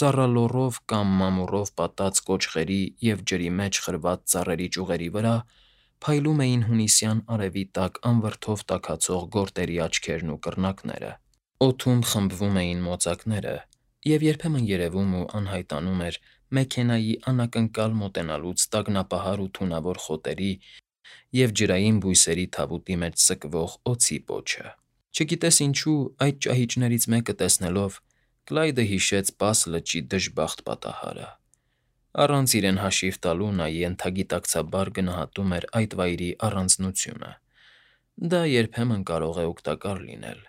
ծառալոռով կամ մամուռով պատած կոճղերի և ջրի մեջ խրված ծառերի ճյուղերի վրա փայլում էին հունիսյան արևի տակ անվրդով տաքացող գորտերի աչքերն ու կռնակները, օդում խմբվում էին մոծակները, և երբեմն երևում ու անհայտանում էր մեքենայի անակնկալ մոտենալուց տագնապահար ու թունավոր խոտերի և ջրային բույսերի թավուտի մեջ սկվող օձի պոչը։ Չգիտես ինչու, այդ ճահիճներից մեկը տեսնելով՝ Կլայդը հիշեց Պաս լճի դժբախտ պատահարը։ Առանց իրեն հաշիվ տալու նա ենթագիտակցաբար գնահատում էր այդ վայրի առանձնությունը։ Դա երբեմն կարող է օգտակար լինել։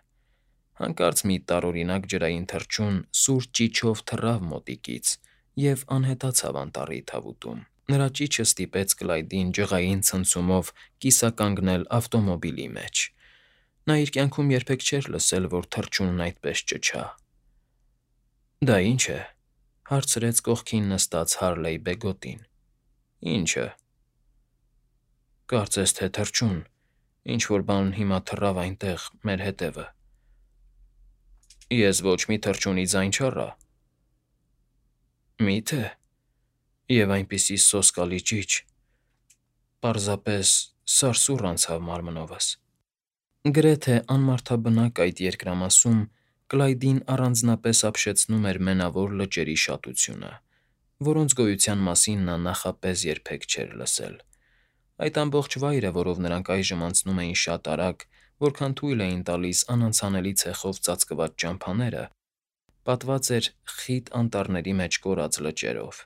Հանկարծ մի տարօրինակ ջրային թռչուն սուր ճիչով թռավ մոտիկից և անհետացավ անտառի թավուտում։ Նրա ճիչը ստիպեց Կլայդին ջղային ցնցումով կիսականգնել ավտոմոբիլի մեջ։ Նա իր կյանքում երբեք չէր լսել, որ թռչունն այդպես ճչա։ «Դա ի՞նչ է,֊ հարցրեց կողքին նստած Հարլեյ Բեգոտին։ «Ի՞նչը»։ «Կարծես թե թռչուն, ինչ֊որ բան հիմա թռավ այնտեղ, մեր հետևը»։ «Ես ոչ մի թռչունի ձայն չառա»։ «Մի՞թե»։ «Եվ այնպիսի սոսկալի ճիչ… Պարզապես սարսուռ անցավ մարմնովս»։ Գրեթե անմարդաբնակ այդ երկրամասում Կլայդին առանձնապես ապշեցնում էր Մենավոր Լճերի շատությունը, որոնց գոյության մասին նա նախապես երբեք չէր լսել։ Այդ ամբողջ վայրը, որով նրանք այժմ անցնում էին շատ արագ, որքան թույլ էին տալիս անանցանելի ցեխով ծածկված ճամփաները, պատված էր խիտ անտառների մեջ կորած լճերով,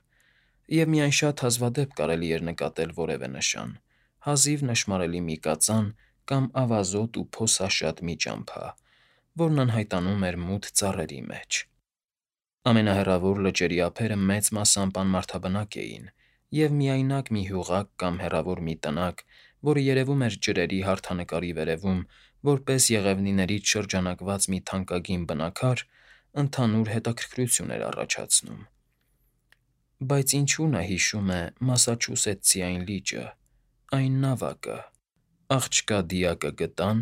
և միայն շատ հազվադեպ կարելի էր նկատել որևէ նշան՝ հազիվ նշմարելի մի կածան կամ ավազոտ ու փոսաշատ մի ճամփա, որն անհայտանում էր մութ ծառերի մեջ։ Ամենահեռավոր լճերի ափերը մեծ մասամբ անմարդաբնակ էին, և միայնակ մի հյուղակ կամ հեռավոր մի տնակ, որը երևում էր ջրերի հարթանկարի վերևում որպես եղևնիներից շրջանակված մի թանկագին բնաքար, ընդհանուր հետաքրքրություն էր առաջացնում։ Բայց ինչո՞ւ նա հիշում է Մասաչուսեթսի այն լիճը, այն նավակը… Աղջկա դիակը գտան,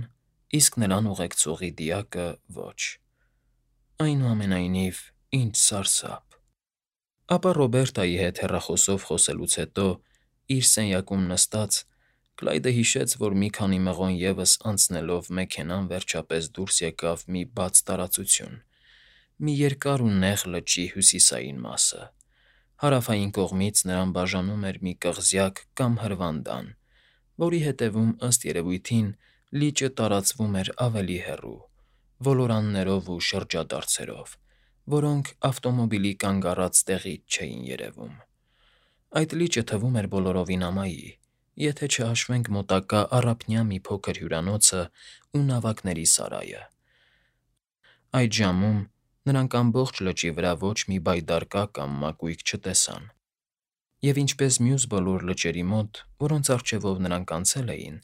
իսկ նրան ուղեկցողի դիակը՝ ոչ։ Այնուամենայնիվ, ինչ սարսափ… Ապա Ռոբերտայի հետ հեռախոսով խոսելուց հետո, իր սենյակում նստած, Կլայդը հիշեց, որ մի քանի մղոն ևս անցնելով մեքենան վերջապես դուրս եկավ մի բաց տարածություն, մի երկար ու նեղ լճի հյուսիսային մասը։ Հարավային կողմից նրան բաժանում էր մի կղզյակ կամ հրվանդան, որի հետևում, ըստ երևույթին, լիճը տարածվում էր ավելի հեռու, ոլորաններով ու շրջադարձերով, որոնք ավտոմոբիլի կանգ առած տեղից չէին երևում։ Այդ լիճը թվում էր բոլորովին ամայի, եթե չհաշվենք մոտակա առափնյա մի փոքր հյուրանոցն ու նավակների սարայը։ Այդ ժամում նրանք ամբողջ լճի վրա ոչ մի բայդարկա կամ մակույկ չտեսան, և ինչպես մյուս բոլոր լճերի մոտ, որոնց առջևով նրանք անցել էին,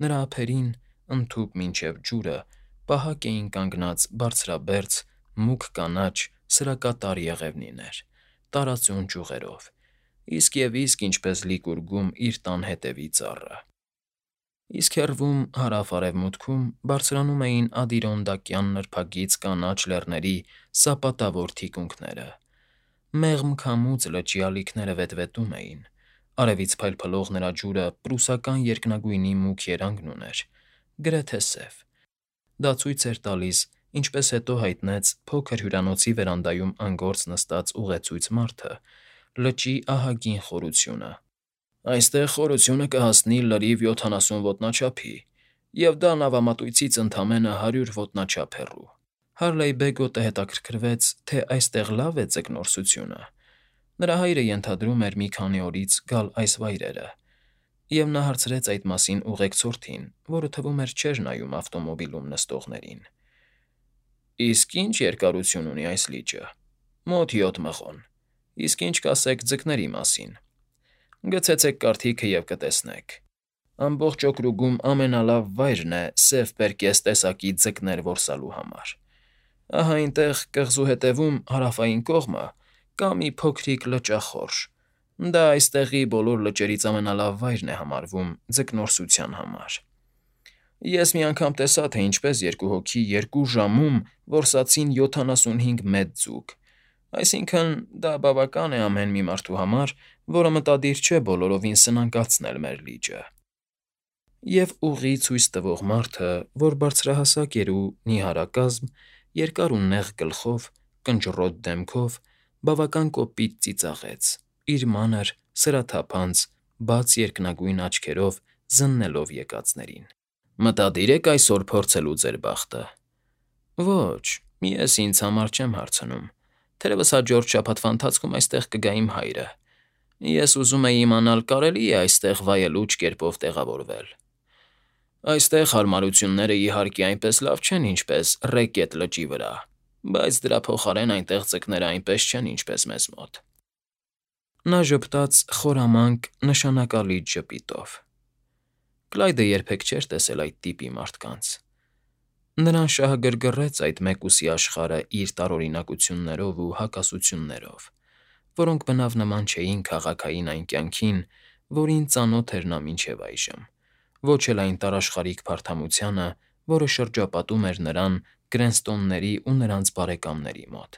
նրա ափերին, ընդհուպ մինչև ջուրը, պահակ էին կանգնած բարձրաբերձ, մուգ կանաչ սրակատար եղևնիներ՝ տարածուն ճյուղերով, իսկ և իսկ ինչպես լիկուրգում իր տան հետևի ծառը։ Իսկ հեռվում, հարավ֊արևմուտքում բարձրանում էին ադիրոնդակյան նրբագիծ կանաչ լեռների սապատավոր թիկունքները։ Մեղմ քամուց լճի ալիքները վետվետում էին, արևից փայլփլող նրա ջուրը պրուսական երկնագույնի մուգ երանգն ուներ, գրեթե սև։ Դա ցույց էր տալիս, ինչպես հետո հայտնեց փոքր հյուրանոցի վերանդայում անգործ նստած ուղեցույց մարդը, լճի ահագին խորությունը։ «Այստեղ խորությունը կհասնի լրիվ 70 ոտնաչափի, և դա նավամատույցից ընդամենը 100 ոտնաչափ հեռու»։ Հարլեյ Բեգոտը հետաքրքրվեց, թե այստեղ լավ է ձկնորսությունը։ Նրա հայրը ենթադրում էր մի քանի օրից գալ այս վայրերը, և նա հարցրեց այդ մասին ուղեկցորդին, որը, թվում էր, չէր նայում ավտոմոբիլում նստողներին։ «Իսկ ի՞նչ երկարություն ունի այս լիճը»։ «Մոտ 7 մղոն»։ «Իսկ ինչ կասեք ձկների մասին»։ «Գցեցեք կարդիքը և կտեսնեք։ Ամբողջ օկրուգում ամենալավ վայրն է սև պերկես տեսակի ձկներ որսալու համար։ Ահա այնտեղ, կղզու հետևում, հարավային կողմը, կա մի փոքրիկ լճախորշ, դա այստեղի բոլոր լճերից ամենալավ վայրն է համարվում ձկնորսության համար։ Ես մի անգամ տեսա, թե ինչպես երկու հոգի 2 ժամում որսացին 75 մեծ ձուկ, Այսինքն, դա բավական է ամեն մի մարդու համար, որը մտադիր չէ բոլորովին սնանկացնել մեր լիճը։ Եվ ուղի ցույց տվող մարդը, որ բարձրահասակ էր ու նիհարակազմ, երկար ու նեղ գլխով, կնճռոտ դեմքով, բավական կոպիտ ծիծաղեց, իր մանր, սրաթափանց, բաց երկնագույն աչքերով զննելով եկածներին։ Մտադիր եք այսօր փորձելու ձեր բախտը։ Ոչ, ես ինձ համար չեմ հարցնում։ Թերևս հաջորդ շաբաթվա ընթացքում այստեղ կգա իմ հայրը։ Ես ուզում էի իմանալ, կարելի է այստեղ վայելուչ կերպով տեղավորվել։ Այստեղ հարմարությունները իհարկե այնպես լավ չեն, ինչպես Ռեկետ լճի վրա, բայց դրա փոխարեն այնտեղ ձկները այնպես չեն, ինչպես մեզ մոտ։ Նա ժպտաց խորամանկ, նշանակալի ժպիտով։ Կլայդը երբեք չէր տեսել այդ տիպի մարդկանց։ Նրան շահագրգռեց այդ մեկուսի աշխարհը իր տարօրինակություններով ու հակասություններով, որոնք բնավ նման չէին քաղաքային այն կյանքին, որին ծանոթ էր նա մինչև այժմ, ոչ էլ այն տարաշխարհիկ փարթամությանը, որը շրջապատում էր նրան Գրենստոնների ու նրանց բարեկամների մոտ։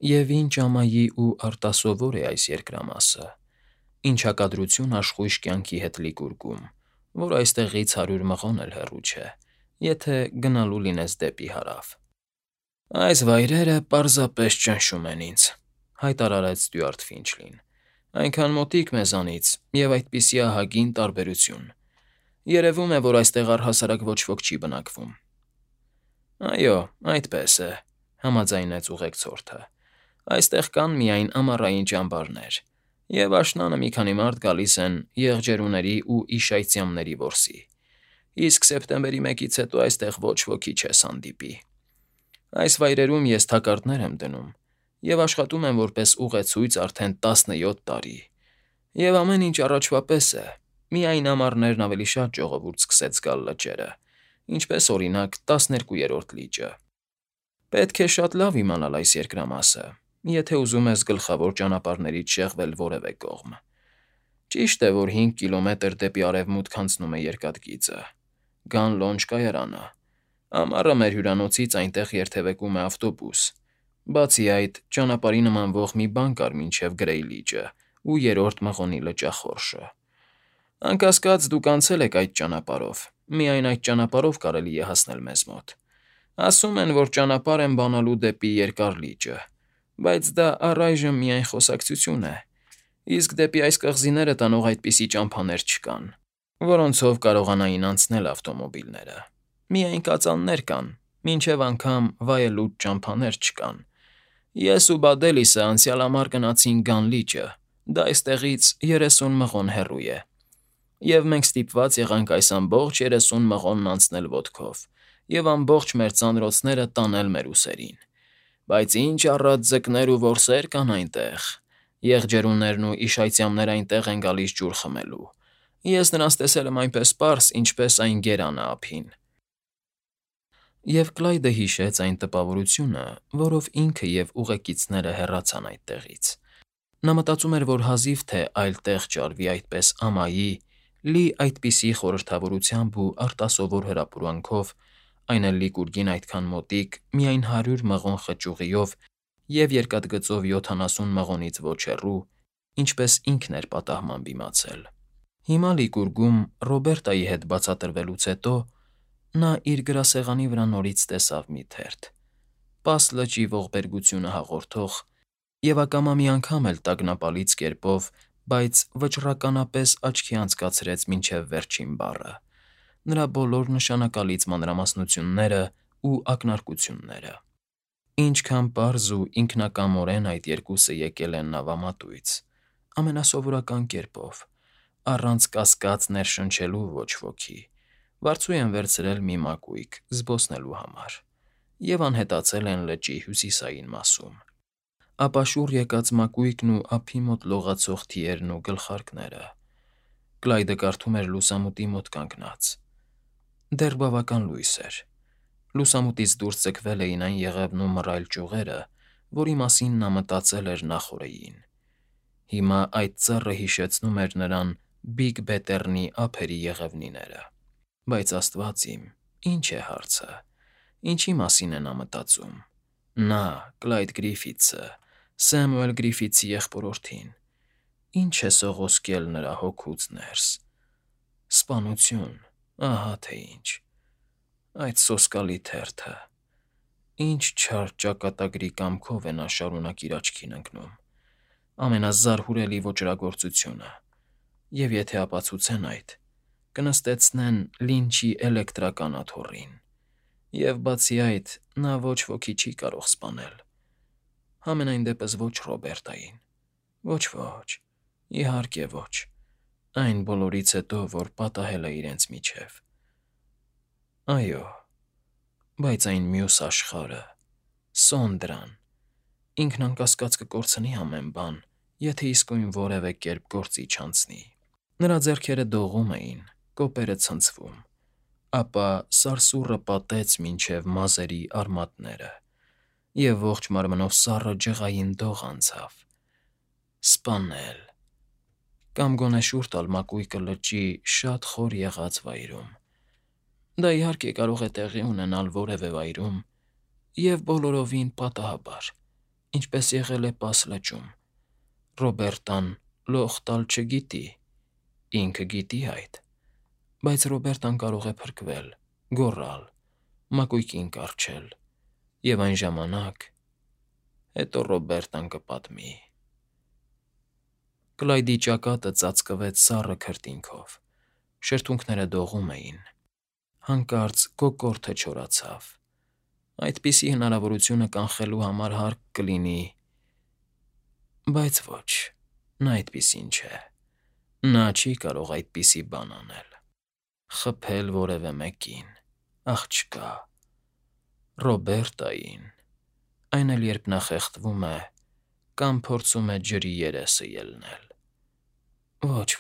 Եվ ինչ ամայի ու արտասովոր է այս երկրամասը, ինչ հակադրություն աշխույժ կյանքի հետ լիգուրգում, որ այստեղից 100 մղոն էլ հեռու չէ, եթե գնալու լինես դեպի հարավ։ Այս վայրերը պարզապես ճնշում են ինձ, հայտարարեց Ստյուարտ Ֆինչլին։ Այնքան մոտիկ մեզանից և այդպիսի ահագին տարբերություն։ Երևում է, որ այստեղ առհասարակ ոչ ոք չի բնակվում։ Այո, այդպես է, համաձայնեց ուղեկցորդը։ Այստեղ կան միայն ամառային ճամբարներ, և աշնանը մի քանի մարդ գալիս են եղջերուների ու իշայծյամների որսի, իսկ սեպտեմբերի 1-ից հետո այստեղ ոչ ոքի չես հանդիպի։ Այս վայրերում ես թակարդներ եմ դնում և աշխատում եմ որպես ուղեցույց արդեն 17 տարի, և ամեն ինչ առաջվա պես է, միայն ամառներն ավելի շատ ժողովուրդ սկսեց գալ լճերը, ինչպես, օրինակ, 12-րդ լիճը։ Պետք է շատ լավ իմանալ այս երկրամասը, եթե ուզում ես գլխավոր ճանապարհներից շեղվել որևէ կողմ։ Ճիշտ է, որ 5 կիլոմետր դեպի արևմուտք անցնում է երկաթգիծը, Գան Լոնջ կայարանը։ Ամառը մեր հյուրանոցից այնտեղ երթևեկում է ավտոբուս։ Բացի այդ, ճանապարհի նմանվող մի բան կար մինչև Գրեյ լիճը ու երրորդ մղոնի լճախորշը։ Անկասկած, դուք անցել եք այդ ճանապարհով, միայն այդ ճանապարհով կարելի է հասնել մեզ մոտ։ Ասում են, որ ճանապարհ են բանալու դեպի Երկար լիճը, բայց դա առայժմ միայն խոսակցություն է, իսկ դեպի այս կղզիները տանող այդպիսի ճամփաներ չկան, որոնցով կարողանային անցնել ավտոմոբիլները։ Միայն կածաններ կան, մինչև անգամ վայելուչ ճամփաներ չկան։ Ես ու Բադելիսը անցյալ ամառ գնացինք Գան լիճը, դա այստեղից 30 մղոն հեռու է, և մենք ստիպված եղանք այս ամբողջ 30 մղոնն անցնել ոտքով և ամբողջ մեր ծանրոցները տանել մեր ուսերին։ Բայց ինչ առատ ձկներ ու որսեր կան այնտեղ։ Եղջերուներն ու իշայծյամները այնտեղ են գալիս ջուր խմելու։ Ես նրանց տեսել եմ այնպես պարզ, ինչպես այն գերանը ափին։ Եվ Կլայդը հիշեց այն տպավորությունը, որով ինքը և ուղեկիցները հեռացան այդտեղից։ Նա մտածում էր, որ հազիվ թե այլ տեղ ճարվի այդպես ամայի, լի այդպիսի խորհրդավորությամբ ու արտասովոր հրապուրանքով, այն էլ լիգուրգին այդքան մոտիկ, միայն 100 մղոն խճուղիով և երկաթգծով 70 մղոնից ոչ հեռու, ինչպես ինքն էր պատահման դիմացել։ Հիմա լիգուրգում Ռոբերտայի հետ բացատրվելուց հետո նա իր գրասեղանի վրա նորից տեսավ մի թերթ՝ Պաս լճի ողբերգությունը հաղորդող և ակամա մի անգամ էլ տագնապալից կերպով, բայց վճռականապես աչքի անցկացրեց մինչև վերջին բառը, նրա բոլոր նշանակալից մանրամասնությունները ու ակնարկությունները։ Ինչքան պարզ ու ինքնակամորեն այդ երկուսը եկել են նավամատույց, ամենասովորական կերպով, առանց կասկած ներշնչելու ոչ ոքի, վարձու են վերցրել մի մակույկ զբոսնելու համար և անհետացել են լճի հյուսիսային մասում։ Ապա շուռ եկած մակույկն ու ափի մոտ լողացող թիերն ու գլխարկները։ Կլայդը կարդում էր լուսամուտի մոտ կանգնած։ Դեռ բավական լույս էր։ Լուսամուտից դուրս ձգվել էին այն եղևն ու մռայլ ճյուղերը, որի մասին նա մտածել էր նախօրեին։ Հիմա այդ ծառը հիշեցնում էր նրան Բիգ Բեթեռնի ափերի եղևնիները։ Բայց աստված իմ, ի՞նչ է հարցը, ինչի մասին է նա մտածում։ Նա, Կլայդ Գրիֆիթսը, Սեմուել Գրիֆիթսի եղբորորդին։ Ինչ է սողոսկել նրա հոգուց ներս։ Սպանություն, ահա թե ինչ։ Այդ սոսկալի թերթը։ Ինչ չար ճակատագրի կամքով է նա շարունակ իր աչքին ընկնում։ Ամենազարհուրելի ոճրագործությունը։ Եվ եթե ապացուցեն այդ, կնստեցնեն Լինչի էլեկտրական աթոռին։ Եվ բացի այդ, նա ոչ ոքի չի կարող սպանել։ Համենայն դեպս ոչ Ռոբերտային։ Ոչ, իհարկե ոչ։ Այն բոլորից հետո, որ պատահել է իրենց միջև։ Այո, բայց այն մյուս աշխարհը, Սոնդրան, ինքն անկասկած կկորցնի ամեն բան, եթե իսկույն որևէ կերպ գործի չանցնի։ Նրա ձեռքերը դողում էին, կոպերը ցնցվում, ապա սարսուռը պատեց մինչև մազերի արմատները, և ողջ մարմնով սառը ջղային դող անցավ։ Սպանել։ Կամ գոնե շուռ տալ մակույկը լճի շատ խոր եղած վայրում։ Դա իհարկե կարող է տեղի ունենալ որևէ վայրում և բոլորովին պատահաբար, ինչպես եղել է Պաս լճում։ Ռոբերտան լող տալ չգիտի, ինքը գիտի այդ, բայց Ռոբերտան կարող է փրկվել, գոռալ, մակույկին կառչել, և այն ժամանակ… Հետո Ռոբերտան կպատմի։ Կլայդի ճակատը ծածկվեց սառը քրտինքով, շրթունքները դողում էին, հանկարծ կոկորդը չորացավ։ Այդպիսի հնարավորությունը կանխելու համար հարկ կլինի… Բայց ոչ, նա այդպիսին չէ։ Նա չի կարող այդպիսի բան անել։ Խփել որևէ մեկին, աղջկա, Ռոբերտային, այն էլ երբ նա խեղդվում է կամ փորձում է ջրի երեսը ելնել։ Ոչ,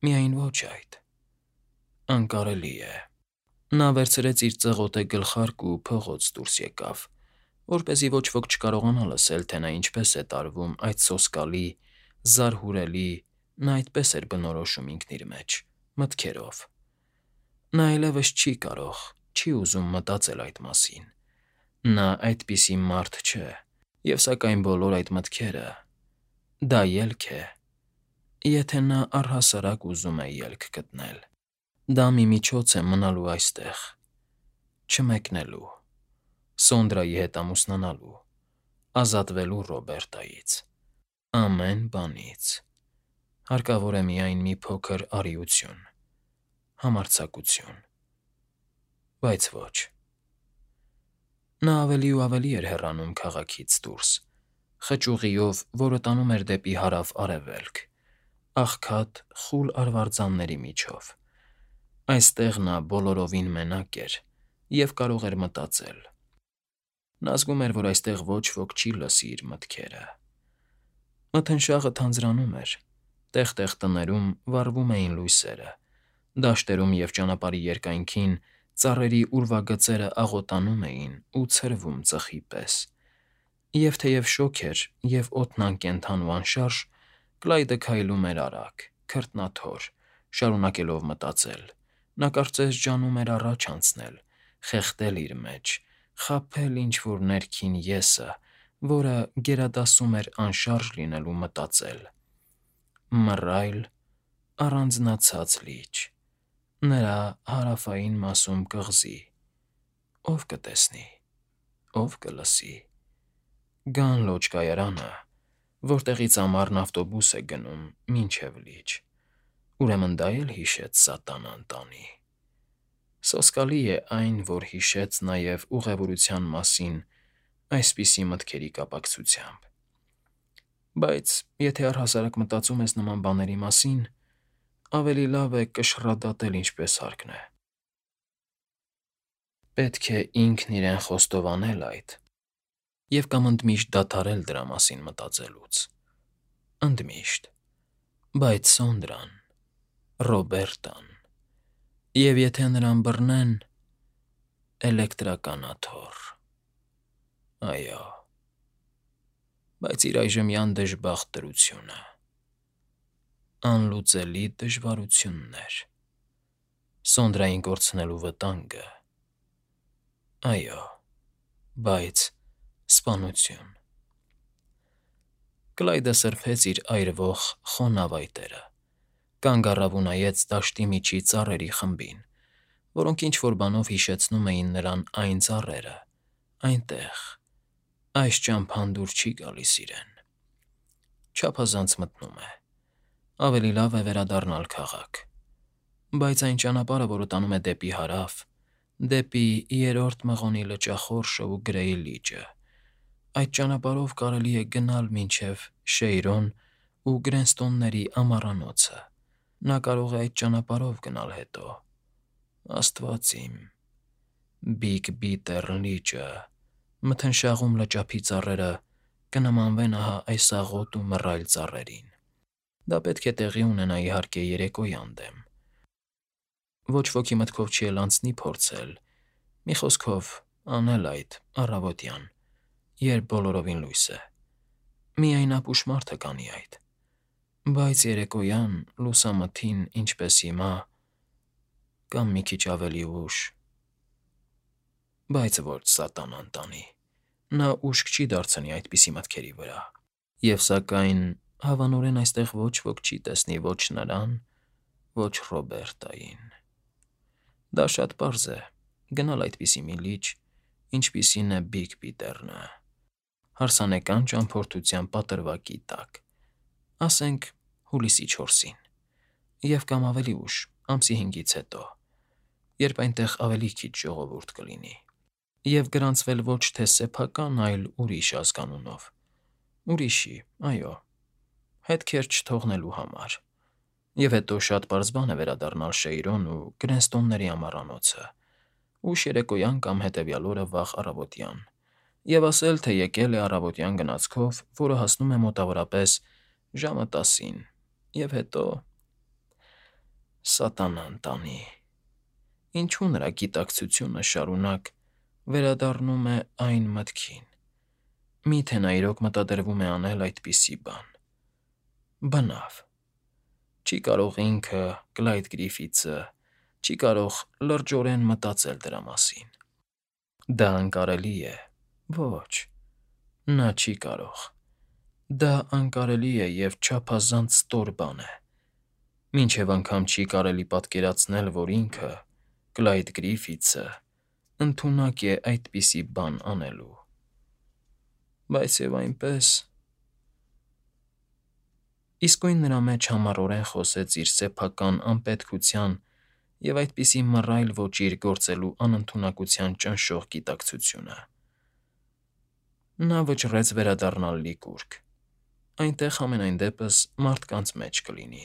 միայն ոչ այդ… Անկարելի է։ Նա վերցրեց իր ծղոտե գլխարկը ու փողոց դուրս եկավ, որպեսզի ոչ ոք չկարողանա լսել, թե նա ինչպես է տարվում այդ սոսկալի, զարհուրելի, նա այդպես էր բնորոշում ինքն իր մեջ, մտքերով։ Նա այլևս չի կարող, չի ուզում մտածել այդ մասին։ Նա այդպիսի մարդ չէ, և սակայն բոլոր այդ մտքերը… Դա ելք է, եթե նա առհասարակ ուզում է ելք գտնել։ Դա մի միջոց է մնալու այստեղ, չմեկնելու, Սոնդրայի հետ ամուսնանալու, ազատվելու Ռոբերտայից, ամեն բանից… Հարկավոր է միայն մի փոքր արիություն, համարձակություն… Բայց ոչ… Նա ավելի ու ավելի էր հեռանում քաղաքից դուրս, խճուղիով, որը տանում էր դեպի հարավ֊արևելք, աղքատ, խուլ արվարձանների միջով։ Այստեղ նա բոլորովին մենակ էր և կարող էր մտածել։ Նա զգում էր, որ այստեղ ոչ ոք չի լսի իր մտքերը։ Մթնշաղը թանձրանում էր, տեղ֊տեղ տներում վառվում էին լույսերը, դաշտերում և ճանապարհի երկայնքին ծառերի ուրվագծերը աղոտանում էին ու ցրվում ծխի պես։ Եվ թեև շոգ էր և օդն անկենդան ու անշարժ, Կլայդը քայլում էր արագ, քրտնաթոր, շարունակելով մտածել։ Նա կարծես ջանում էր առաջ անցնել, խեղդել իր մեջ, խաբել ինչ֊որ ներքին «ես»֊ը, որը գերադասում էր անշարժ լինել ու մտածել։ Մռայլ, առանձնացած լիճ, նրա հարավային մասում կղզի… Ո՞վ կտեսնի, ո՞վ կլսի… Գան լոճկայարանը, որտեղից ամառն ավտոբուս է գնում մինչև լիճ… Ուրեմն դա էլ հիշեց սատանան տանի… Սոսկալի է այն, որ հիշեց նաև ուղևորության մասին այսպիսի մտքերի կապակցությամբ։ Բայց եթե առհասարակ մտածում ես նման բաների մասին, ավելի լավ է կշռադատել ինչպես հարկն է։ Պետք է ինքն իրեն խոստովանել այդ և կամ ընդմիշտ դադարել դրա մասին մտածելուց… Ընդմիշտ… Բայց Սոնդրան… Ռոբերտան… Եվ եթե նրան բռնեն… Էլեկտրական աթոռ… Այո… Բայց իր այժմյան դժբախտ դրությունը… Անլուծելի դժվարություններ… Սոնդրային կորցնելու վտանգը… Այո… Բայց… Սպանություն… Կլայդը սրբեց իր այրվող խոնավ այտերը, կանգ առավ ու նայեց դաշտի միջի ծառերի խմբին, որոնք ինչ-որ բանով հիշեցնում էին նրան այն ծառերը, այնտեղ, այս ճամփան դուր չի գալիս իրեն։ Չափազանց մտնում է։ Ավելի լավ է վերադառնալ քաղաք։ Բայց այն ճանապարհը, որը տանում է դեպի հարավ, դեպի Երրորդ Մղոնի լճախորշը ու Գրեյ լիճը, այդ ճանապարհով կարելի է գնալ մինչև Շեյրոն ու Գրենստոնների ամառանոցը։ Նա կարող է այդ ճանապարհով գնալ հետո։ Աստված իմ, Բիգ Բիտեր լիճը, մթնշաղում լճափի ծառերը կնմանվեն ահա այս աղոտ ու մռայլ ծառերին։ Դա պետք է տեղի ունենա, իհարկե, երեկոյան դեմ։ Ոչ ոքի մտքով չի էլ անցնի փորձել, մի խոսքով անել այդ առավոտյան, երբ բոլորովին լույս է։ Միայն ապուշ մարդը կանի այդ։ Բայց երեկոյան, լուսամթին, ինչպես հիմա, կամ մի քիչ ավելի ուշ… Բայց ոչ սատանան տանի, նա ուշք չի դարձնի այդպիսի մտքերի վրա։ Եվ սակայն հավանորեն այստեղ ոչ ոք չի տեսնի ոչ նրան, ոչ Ռոբերտային։ Դա շատ պարզ է, գնալ այդպիսի մի լիճ, ինչպիսին է Բիգ Բիթեռնը, հարսանեկան ճամփորդության պատրվակի տակ, ասենք հուլիսի 4-ին, և կամ ավելի ուշ, ամսի 5-ից հետո, երբ այնտեղ ավելի քիչ ժողովուրդ կլինի, և գրանցվել ոչ թե սեփական, այլ ուրիշ ազգանունով, ուրիշի, այո, հետքեր չթողնելու համար, և հետո շատ պարզ բան է վերադառնալ Շեյրոն ու Գրենստոնների ամառանոցը, ուշ երեկոյան կամ հետևյալ օրը վաղ առավոտյան, և ասել, թե եկել է առավոտյան գնացքով, որը հասնում է մոտավորապես ժամը 10-ին, և հետո… Սատանան տանի, ինչու նրա գիտակցությունը շարունակ վերադառնում է այն մտքին. միթե նա իրոք մտադրվում է անել այդպիսի բան… Բնավ, չի կարող ինքը, Կլայդ Գրիֆիթսը, չի կարող լրջորեն մտածել դրա մասին։ Դա անկարելի է, ոչ, նա չի կարող։ Դա անկարելի է և չափազանց ստոր բան է, մինչև անգամ չի կարելի պատկերացնել, որ ինքը, Կլայդ Գրիֆիթսը, ընդունակ է այդպիսի բան անելու։ Բայց և այնպես… Իսկույն նրա մեջ համառորեն խոսեց իր սեփական անպետքության և այդպիսի մռայլ ոճիր գործելու անընդունակության ճնշող գիտակցությունը։ Նա վճռեց վերադառնալ լիկուրք, այնտեղ համենայն դեպս մարդկանց մեջ կլինի։